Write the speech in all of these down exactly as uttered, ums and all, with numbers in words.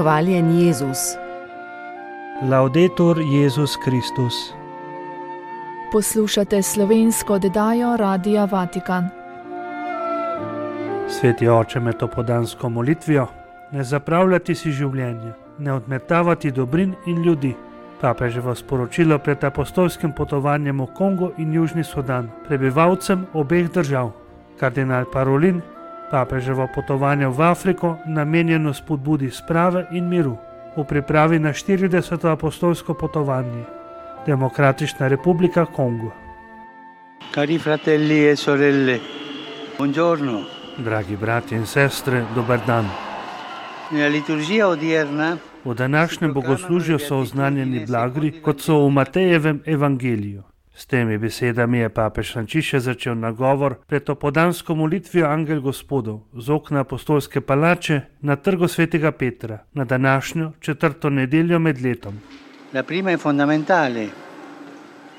Hvaljen Jezus. Laudetur Jezus Kristus. Poslušate slovensko oddajo Radia Vatikan. Sveti oče, med topodansko molitvijo, ne zapravljati si življenje, ne odmetavati dobrin in ljudi. Papeževo sporočilo pred apostolskim potovanjem v Kongo in Južni Sudan, prebivalcem obeh držav. Kardinal Parolin, papeževo potovanje v Afriko namenjeno spodbudi sprave in miru v pripravi na štirideseto apostolsko potovanje. Demokratična republika Kongo. Cari fratelli e sorelle, buongiorno. Dragi brati in sestre, dober dan. Nella liturgia odierna V današnjem bogoslužju so oznanjeni blagri, kot so v Matejevem evangeliju. S temi besedami je papež Frančišek začel nagovor pred opodansko molitvijo Angel Gospodov z okna apostolske palače na trgu svetega Petra na današnjo četrto nedeljo med letom. La prima è fondamentale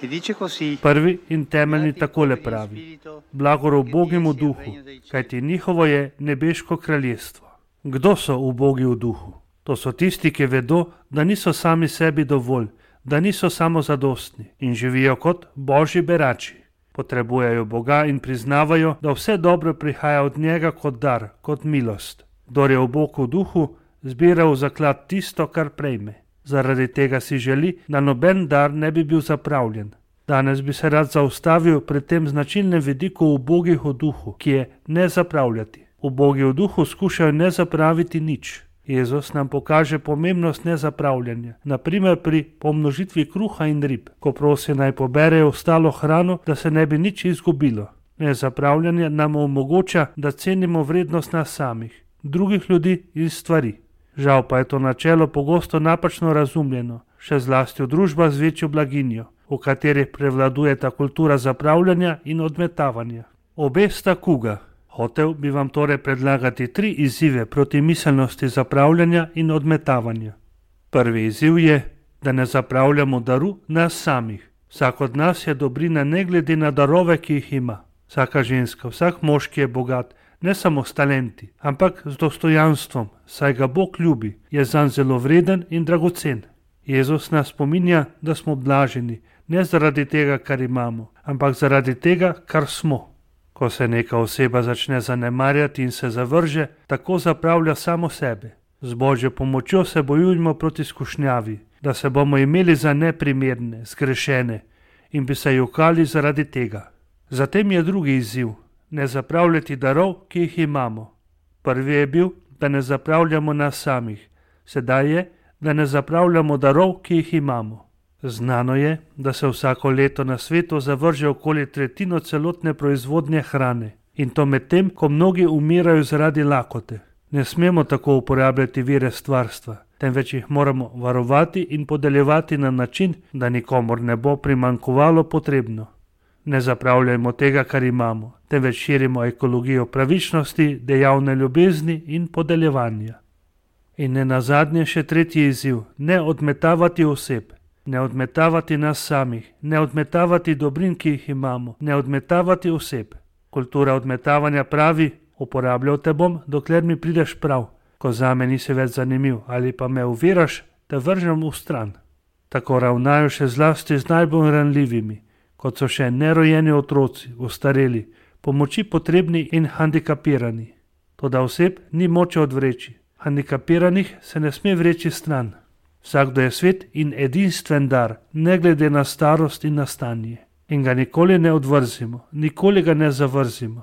e dice così: Prvi in temeljni takole pravi: blagor ubogim v duhu, kajti njihovo je nebeško kraljestvo. Kdo so ubogi v duhu? To so tisti, ki vedo, da niso sami sebi dovolj, da niso samozadostni in živijo kot božji berači. Potrebujejo Boga in priznavajo, da vse dobro prihaja od njega kot dar, kot milost. Kdor je ubog v duhu, zbira v zaklad tisto, kar prejme. Zaradi tega si želi, da noben dar ne bi bil zapravljen. Danes bi se rad zaustavil pred tem značilnem vidiku ubogih v duhu, ki je ne zapravljati. Ubogi v duhu skušajo ne zapraviti nič. Jezus nam pokaže pomembnost nezapravljanja, naprimer pri pomnožitvi kruha in rib, ko prosi naj poberejo ostalo hrano, da se ne bi nič izgubilo. Nezapravljanje nam omogoča, da cenimo vrednost nas samih, drugih ljudi in stvari. Žal pa je to načelo pogosto napačno razumljeno, še zlasti v družbah z večjo blaginjo, v katerih prevladuje ta kultura zapravljanja in odmetavanja. Obe sta kuga. Hotel bi vam torej predlagati tri izzive proti miselnosti zapravljanja in odmetavanja. Prvi izziv je, da ne zapravljamo daru nas samih. Vsak od nas je dobrina ne glede na darove, ki jih ima. Vsaka ženska, vsak moški je bogat, ne samo s talenti, ampak z dostojanstvom, saj ga Bog ljubi, je zanj zelo vreden in dragocen. Jezus nas spominja, da smo blaženi, ne zaradi tega, kar imamo, ampak zaradi tega, kar smo. Ko se neka oseba začne zanemarjati in se zavrže, tako zapravlja samo sebe. Z Božjo pomočjo se bojujmo proti skušnjavi, da se bomo imeli za neprimerne, zgrešene in bi se jokali zaradi tega. Zatem je drugi izziv, ne zapravljati darov, ki jih imamo. Prvi je bil, da ne zapravljamo nas samih, sedaj je, da ne zapravljamo darov, ki jih imamo. Znano je, da se vsako leto na svetu zavrže okoli tretjino celotne proizvodnje hrane in to medtem, ko mnogi umirajo zaradi lakote. Ne smemo tako uporabljati vire stvarstva, temveč jih moramo varovati in podeljevati na način, da nikomor ne bo primanjkovalo potrebno. Ne zapravljajmo tega, kar imamo, temveč širimo ekologijo pravičnosti, dejavne ljubezni in podeljevanja. In ne nazadnje še tretji izziv, ne odmetavati oseb. Ne odmetavati nas samih, ne odmetavati dobrin, ki jih imamo, ne odmetavati oseb. Kultura odmetavanja pravi: uporabljal te bom, dokler mi prideš prav, ko zame nisi več zanimiv ali pa me oviraš, te vržem v stran. Tako ravnajo še zlasti z najbolj ranljivimi, kot so še nerojeni otroci, ostareli, pomoči potrebni in handikapirani. Toda oseb ni moče odvreči, handikapiranih se ne sme vreči stran. Vsakdo je svet in edinstven dar, ne glede na starost in na stanje. In ga nikoli ne odvrzimo, nikoli ga ne zavrzimo.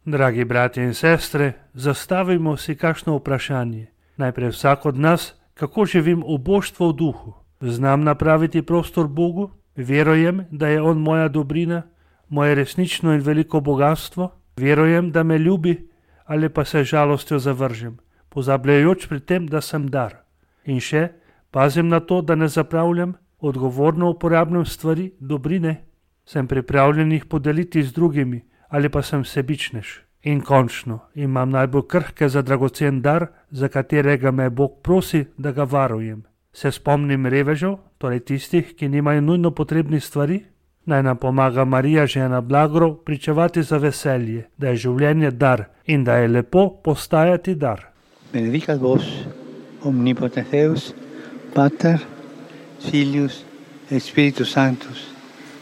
Dragi bratje in sestre, zastavimo si kakšno vprašanje. Najprej vsak od nas, kako živim uboštvo v duhu. Znam napraviti prostor Bogu? Verujem, da je On moja dobrina, moje resnično in veliko bogatstvo? Verujem, da me ljubi, ali pa se žalostjo zavržem, pozabljajoč pri tem, da sem dar. In še, pazim na to, da ne zapravljam, odgovorno uporabljam stvari, dobrine, sem pripravljen jih podeliti z drugimi ali pa sem sebičnež. In končno, imam najbolj krhke za dragocen dar, za katerega me Bog prosi, da ga varujem. Se spomnim revežev, torej tistih, ki nimajo nujno potrebnih stvari? Naj nam pomaga Marija, žena blagorov, pričevati za veselje, da je življenje dar in da je lepo postajati dar. Benedicat vos omnipotens Deus, Pater, Filius et Spiritus Sanctus.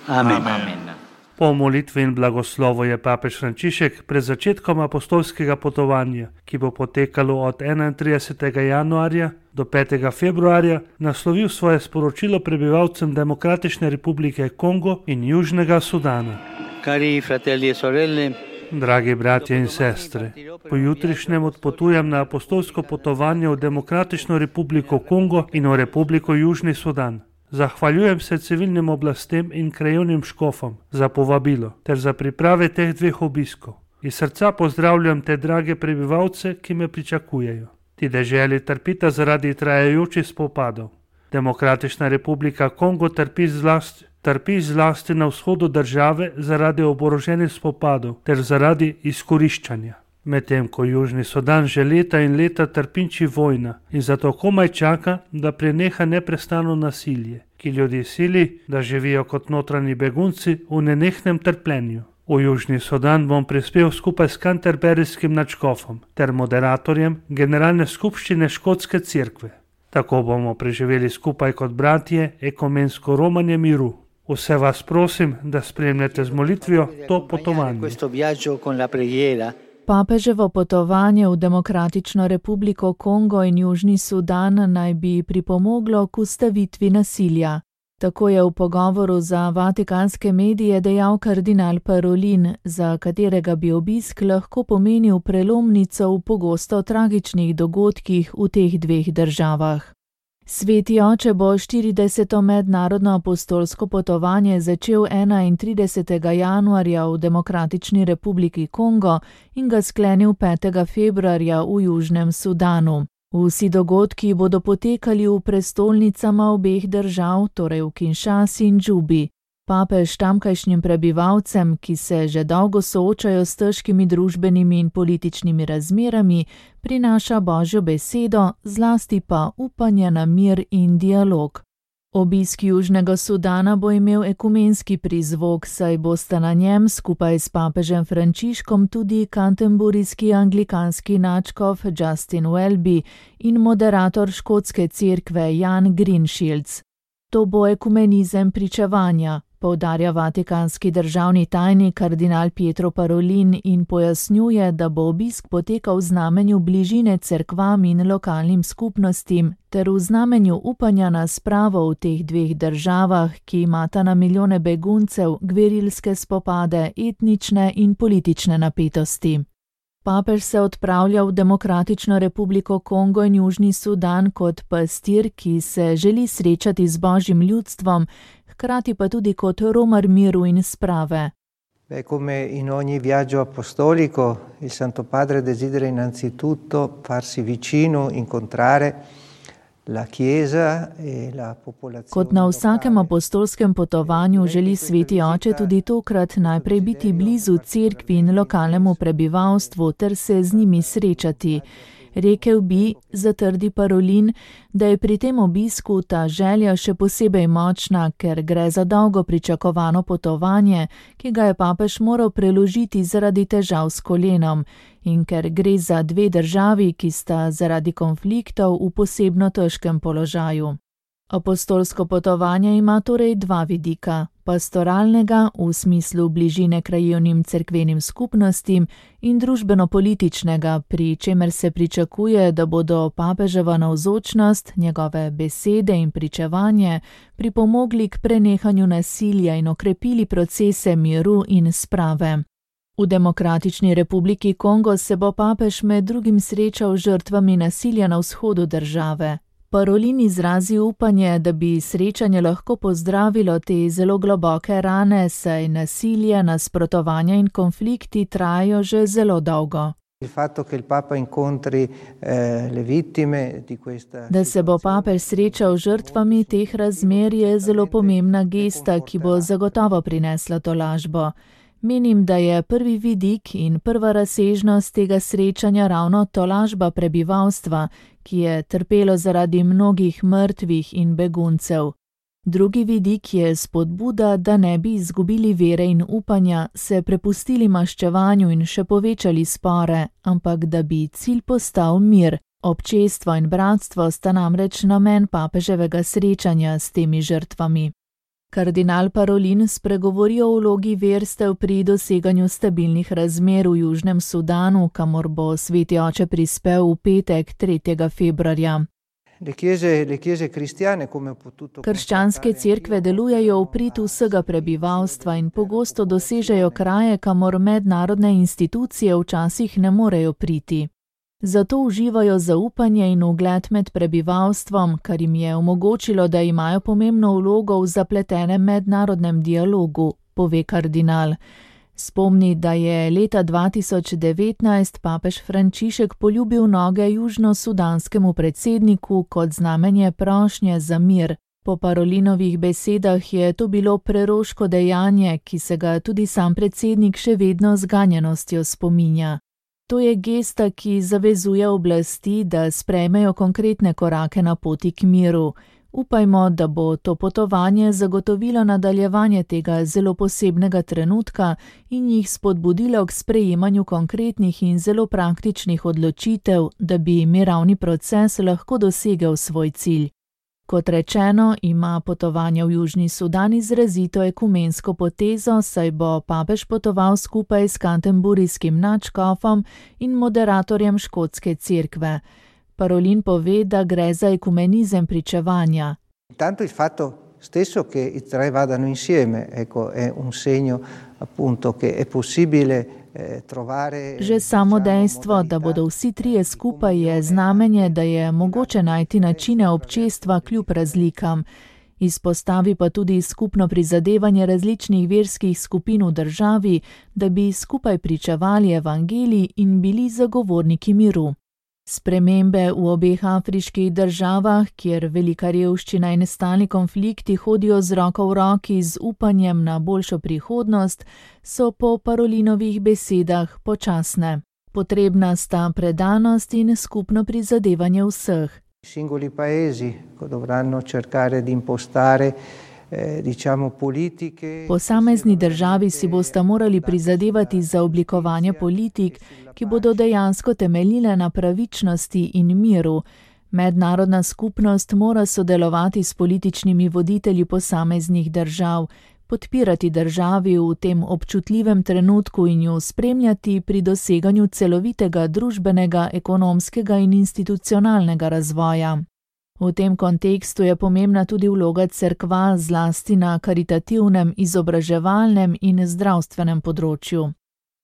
Amen. Amen. Po molitvi in blagoslovu je papež Frančišek pred začetkom apostolskega potovanja, ki bo potekalo od enaintridesetega januarja do petega februarja, naslovil svoje sporočilo prebivalcem Demokratične republike Kongo in Južnega Sudana. Cari fratelli e sorelle, Dragi bratje in sestre, pojutrišnjem odpotujem na apostolsko potovanje v Demokratično republiko Kongo in v Republiko Južni Sudan. Zahvaljujem se civilnim oblastem in krajevnim škofom za povabilo ter za priprave teh dveh obiskov. Iz srca pozdravljam te drage prebivalce, ki me pričakujejo. Ti deželi trpita zaradi trajajočih spopadov. Demokratična republika Kongo trpi zlasti, trpi zlasti na vzhodu države zaradi oboroženih spopadov ter zaradi izkoriščanja. Medtem ko Južni Sudan že leta in leta trpinči vojna in zato komaj čaka, da preneha neprestano nasilje, ki ljudi sili, da živijo kot notranji begunci v nenehnem trpljenju. V Južni Sudan bom prispel skupaj s kanterberijskim nadškofom ter moderatorjem Generalne skupščine Škotske cerkve. Tako bomo preživeli skupaj kot bratje ekumensko romanje miru. Vse vas prosim, da spremljate z molitvijo to potovanje. Papeževo potovanje v Demokratično republiko Kongo in Južni Sudan naj bi pripomoglo k ustavitvi nasilja. Tako je v pogovoru za vatikanske medije dejal kardinal Parolin, za katerega bi obisk lahko pomenil prelomnico v pogosto tragičnih dogodkih v teh dveh državah. Sveti oče bo štirideseto mednarodno apostolsko potovanje začel enaintridesetega januarja v Demokratični republiki Kongo in ga sklenil petega februarja v Južnem Sudanu. Vsi dogodki bodo potekali v prestolnicama obeh držav, torej v Kinshasi in Džubi. Papež tamkajšnjim prebivalcem, ki se že dolgo soočajo s težkimi družbenimi in političnimi razmerami, prinaša Božjo besedo, zlasti pa upanje na mir in dialog. Obisk Južnega Sudana bo imel ekumenski prizvok, saj bosta na njem skupaj s papežem Frančiškom tudi canterburyski anglikanski nadškof Justin Welby in moderator Škotske cerkve Jan Greenshields. To bo ekumenizem pričevanja, poudarja vatikanski državni tajnik kardinal Pietro Parolin in pojasnjuje, da bo obisk potekal v znamenju bližine cerkvam in lokalnim skupnostim ter v znamenju upanja na spravo v teh dveh državah, ki imata na milijone beguncev, gverilske spopade, etnične in politične napetosti. Papež se odpravlja v Demokratično republiko Kongo in Južni Sudan kot pastir, ki se želi srečati z Božjim ljudstvom, hkrati pa tudi kot romar miru in sprave. Beh, come in ogni viaggio apostolico, il Santo Padre desidera innanzitutto farsi vicino, incontrare la Chiesa e la popolazione. Kot na vsakem apostolskem potovanju želi Sveti oče tudi tokrat najprej biti blizu cerkvi in lokalnemu prebivalstvu ter se z njimi srečati. Rekel bi, zatrdi Parolin, da je pri tem obisku ta želja še posebej močna, ker gre za dolgo pričakovano potovanje, ki ga je papež moral preložiti zaradi težav s kolenom in ker gre za dve državi, ki sta zaradi konfliktov v posebno težkem položaju. Apostolsko potovanje ima torej dva vidika, pastoralnega v smislu bližine krajevnim cerkvenim skupnostim in družbeno-političnega, pri čemer se pričakuje, da bodo papeževa navzočnost, njegove besede in pričevanje pripomogli k prenehanju nasilja in okrepili procese miru in sprave. V Demokratični republiki Kongo se bo papež med drugim srečal z žrtvami nasilja na vzhodu države. Parolin izrazi upanje, da bi srečanje lahko pozdravilo te zelo globoke rane, saj nasilje, nasprotovanja in konflikti trajajo že zelo dolgo. Da se bo papež srečal z žrtvami teh razmer je zelo pomembna gesta, ki bo zagotovo prinesla tolažbo. Menim, da je prvi vidik in prva razsežnost tega srečanja ravno tolažba prebivalstva, ki je trpelo zaradi mnogih mrtvih in beguncev. Drugi vidik je spodbuda, da ne bi izgubili vere in upanja, se prepustili maščevanju in še povečali spore, ampak da bi cilj postal mir, Občestvo in bratstvo sta namreč namen papeževega srečanja s temi žrtvami. Kardinal Parolin spregovori o vlogi verstev pri doseganju stabilnih razmer v Južnem Sudanu, kamor bo sveti oče prispel v petek, tretjega februarja. Krščanske cerkve delujejo v prid vsega prebivalstva in pogosto dosežejo kraje, kamor mednarodne institucije včasih ne morejo priti. Zato uživajo zaupanje in ugled med prebivalstvom, kar jim je omogočilo, da imajo pomembno vlogo v zapletenem mednarodnem dialogu, pove kardinal. Spomni, da je leta dva tisoč devetnajst papež Frančišek poljubil noge južnosudanskemu predsedniku kot znamenje prošnje za mir. Po Parolinovih besedah je to bilo preroško dejanje, ki se ga tudi sam predsednik še vedno z ganjenostjo spominja. To je gesta, ki zavezuje oblasti, da sprejmejo konkretne korake na poti k miru. Upajmo, da bo to potovanje zagotovilo nadaljevanje tega zelo posebnega trenutka in jih spodbudilo k sprejemanju konkretnih in zelo praktičnih odločitev, da bi mirovni proces lahko dosegel svoj cilj. Kot rečeno, ima potovanje v Južni Sudan izrazito ekumensko potezo, saj bo papež potoval skupaj s canterburyjskim nadškofom in moderatorjem škotske cerkve. Parolin pove, da gre za ekumenizem pričevanja. Tanto il fatto stesso che i tre vadano insieme, ecco, è un segno appunto che è possibile trovare. Že samo dejstvo, da bodo vsi trije skupaj, je znamenje, da je mogoče najti načine občestva kljub razlikam. Izpostavi pa tudi skupno prizadevanje različnih verskih skupin v državi, da bi skupaj pričevali evangelij in bili zagovorniki miru. Spremembe v obeh afriških državah, kjer velika revščina in stalni konflikti hodijo z roko v roki z upanjem na boljšo prihodnost, so po Parolinovih besedah počasne. Potrebna sta predanost in skupno prizadevanje vseh. Singoli paesi dovranno cercare di impostare Posamezni državi si bosta morali prizadevati za oblikovanje politik, ki bodo dejansko temeljile na pravičnosti in miru. Mednarodna skupnost mora sodelovati s političnimi voditelji posameznih držav, podpirati državi v tem občutljivem trenutku in jo spremljati pri doseganju celovitega družbenega, ekonomskega in institucionalnega razvoja. V tem kontekstu je pomembna tudi vloga cerkva zlasti na karitativnem, izobraževalnem in zdravstvenem področju.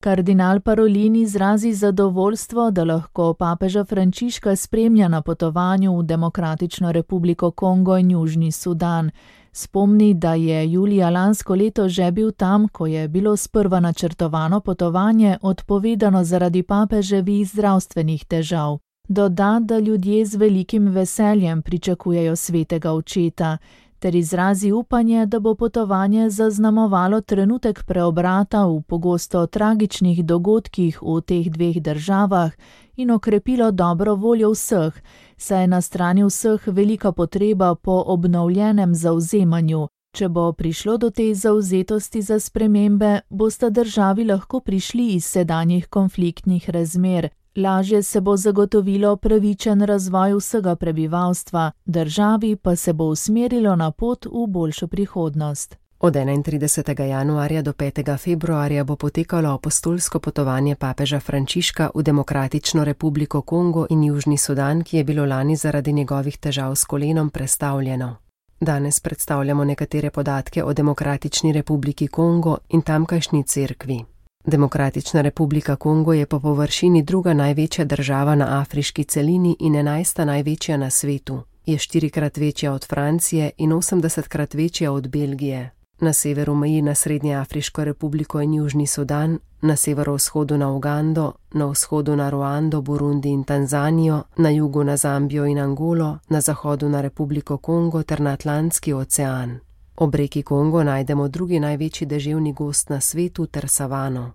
Kardinal Parolin izrazi zadovoljstvo, da lahko papeža Frančiška spremlja na potovanju v Demokratično republiko Kongo in Južni Sudan. Spomni, da je julija lansko leto že bil tam, ko je bilo sprva načrtovano potovanje odpovedano zaradi papeževih zdravstvenih težav. Doda, da ljudje z velikim veseljem pričakujejo svetega očeta, ter izrazi upanje, da bo potovanje zaznamovalo trenutek preobrata v pogosto tragičnih dogodkih v teh dveh državah in okrepilo dobro voljo vseh, saj je na strani vseh velika potreba po obnovljenem zavzemanju. Če bo prišlo do te zavzetosti za spremembe, bosta državi lahko prišli iz sedanjih konfliktnih razmer. Lažje se bo zagotovilo pravičen razvoj vsega prebivalstva, državi pa se bo usmerilo na pot v boljšo prihodnost. Od enaintridesetega januarja do petega februarja bo potekalo apostolsko potovanje papeža Frančiška v Demokratično republiko Kongo in Južni Sudan, ki je bilo lani zaradi njegovih težav s kolenom prestavljeno. Danes predstavljamo nekatere podatke o Demokratični republiki Kongo in tamkajšnji cerkvi. Demokratična republika Kongo je po površini druga največja država na afriški celini in enajsta največja na svetu. Je štirikrat večja od Francije in osemdesetkrat večja od Belgije. Na severu meji na Srednjeafriško republiko in Južni Sudan, na severovzhodu na Ugando, na vzhodu na Ruando, Burundi in Tanzanijo, na jugu na Zambijo in Angolo, na zahodu na Republiko Kongo ter na Atlantski ocean. Ob reki Kongo najdemo drugi največji deževni gozd na svetu ter savano.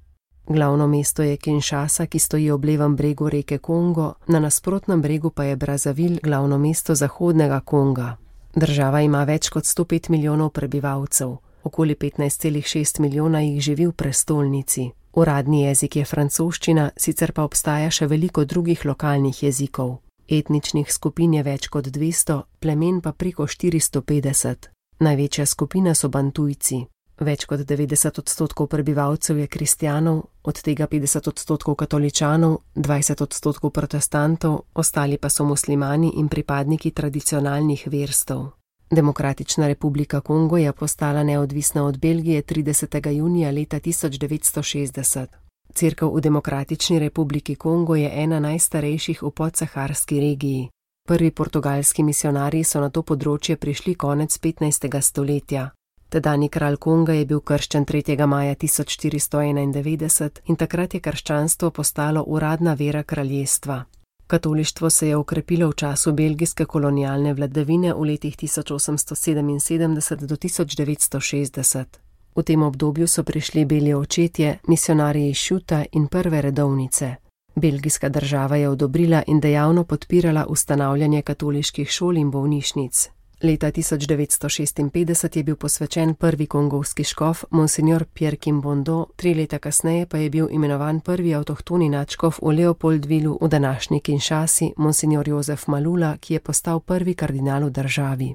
Glavno mesto je Kinshasa, ki stoji ob levem bregu reke Kongo, na nasprotnem bregu pa je Brazzaville, glavno mesto zahodnega Konga. Država ima več kot sto pet milijonov prebivalcev, okoli petnajst celih šest milijona jih živi v prestolnici. Uradni jezik je francoščina, sicer pa obstaja še veliko drugih lokalnih jezikov. Etničnih skupin je več kot dvesto, plemen pa preko štiristo petdeset. Največja skupina so Bantujci. Več kot devetdeset odstotkov prebivalcev je kristjanov, od tega petdeset odstotkov katoličanov, dvajset odstotkov protestantov, ostali pa so muslimani in pripadniki tradicionalnih verstev. Demokratična republika Kongo je postala neodvisna od Belgije tridesetega junija leta tisoč devetsto šestdeset. Cerkev v Demokratični republiki Kongo je ena najstarejših v podsaharski regiji. Prvi portugalski misionarji so na to področje prišli konec petnajstega stoletja. Tedanji kralj Konga je bil krščen tretjega maja tisoč štiristo enaindevetdeset in takrat je krščanstvo postalo uradna vera kraljestva. Katolištvo se je okrepilo v času belgijske kolonialne vladavine v letih tisoč osemsto sedeminsedemdeset do tisoč devetsto šestdeset. V tem obdobju so prišli beli očetje, misionarji iz Šuta in prve redovnice. Belgijska država je odobrila in dejavno podpirala ustanavljanje katoliških šol in bolnišnic. Leta tisoč devetsto šestinpetdeset je bil posvečen prvi kongovski škof, monsignor Pierre Kimbondo, tri leta kasneje pa je bil imenovan prvi avtohtoni nadškof v Leopoldvilu v današnji Kinshasi, monsignor Jozef Malula, ki je postal prvi kardinal v državi.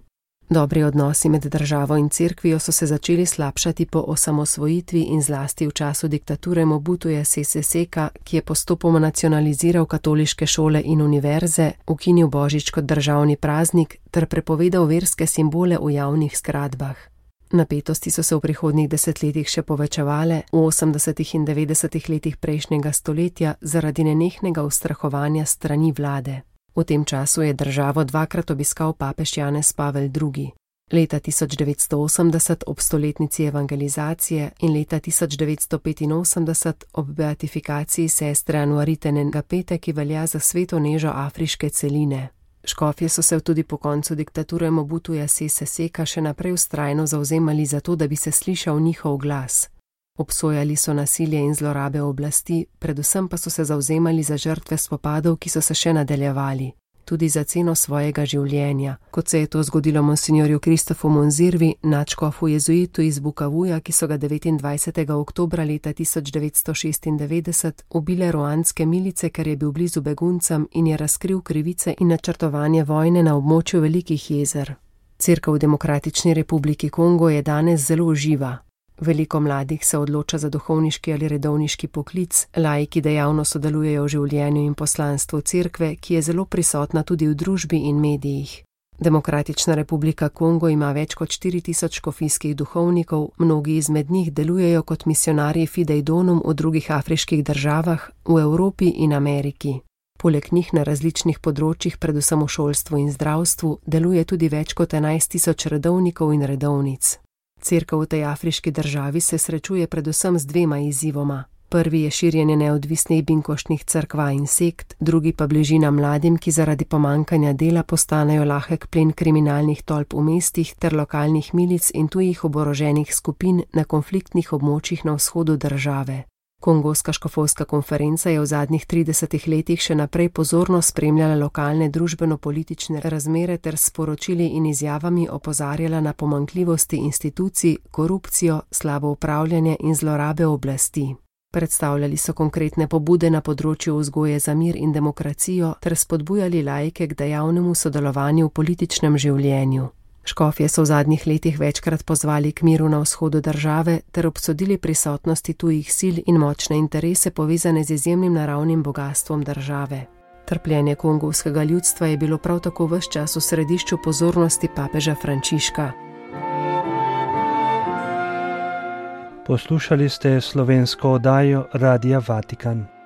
Dobri odnosi med državo in cerkvijo so se začeli slabšati po osamosvojitvi in zlasti v času diktature Mobutuja Sese Seka, ki je postopoma nacionaliziral katoliške šole in univerze, ukinil božič kot državni praznik ter prepovedal verske simbole v javnih zgradbah. Napetosti so se v prihodnjih desetletjih še povečevale, v osemdesetih in devetdesetih letih prejšnjega stoletja zaradi nenehnega ustrahovanja strani vlade. V tem času je državo dvakrat obiskal papež Janez Pavel drugi. Leta tisoč devetsto osemdeset ob stoletnici evangelizacije in leta tisoč devetsto petinosemdeset ob beatifikaciji sestre Anuarite Ngapete, ki velja za sveto nežo afriške celine. Škofje so se tudi po koncu diktature Mobutuja Sese Seka še naprej vztrajno zavzemali za to, da bi se slišal njihov glas. Obsojali so nasilje in zlorabe oblasti, predvsem pa so se zavzemali za žrtve spopadov, ki so se še nadaljevali, tudi za ceno svojega življenja, kot se je to zgodilo monsignorju Kristofu Monzirvi, nadškofu jezuitu iz Bukavuja, ki so ga devetindvajsetega oktobra leta tisoč devetsto šestindevetdeset ubile ruandske milice, ker je bil blizu beguncem in je razkril krivice in načrtovanje vojne na območju Velikih jezer. Cerkev v Demokratični republiki Kongo je danes zelo živa. Veliko mladih se odloča za duhovniški ali redovniški poklic, laiki dejavno sodelujejo v življenju in poslanstvu cerkve, ki je zelo prisotna tudi v družbi in medijih. Demokratična republika Kongo ima več kot štiri tisoč škofijskih duhovnikov, mnogi izmed njih delujejo kot misionarji Fidei Donum v drugih afriških državah, v Evropi in Ameriki. Poleg njih na različnih področjih, predvsem v šolstvu in zdravstvu, deluje tudi več kot enajst tisoč redovnikov in redovnic. Cerkev v tej afriški državi se srečuje predvsem z dvema izzivoma. Prvi je širjenje neodvisnih binkoštnih cerkva in sekt, drugi pa bližina mladim, ki zaradi pomankanja dela postanejo lahek plen kriminalnih tolp v mestih ter lokalnih milic in tujih oboroženih skupin na konfliktnih območjih na vzhodu države. Kongoska škofovska konferenca je v zadnjih tridesetih letih še naprej pozorno spremljala lokalne družbeno-politične razmere ter s sporočili in izjavami opozarjala na pomanjkljivosti institucij, korupcijo, slabo upravljanje in zlorabe oblasti. Predstavljali so konkretne pobude na področju vzgoje za mir in demokracijo ter spodbujali laike k dejavnemu sodelovanju v političnem življenju. Škofje so v zadnjih letih večkrat pozvali k miru na vzhodu države ter obsodili prisotnosti tujih sil in močne interese povezane z izjemnim naravnim bogastvom države. Trpljenje kongovskega ljudstva je bilo prav tako ves čas v središču pozornosti papeža Frančiška. Poslušali ste slovensko oddajo Radia Vatikan.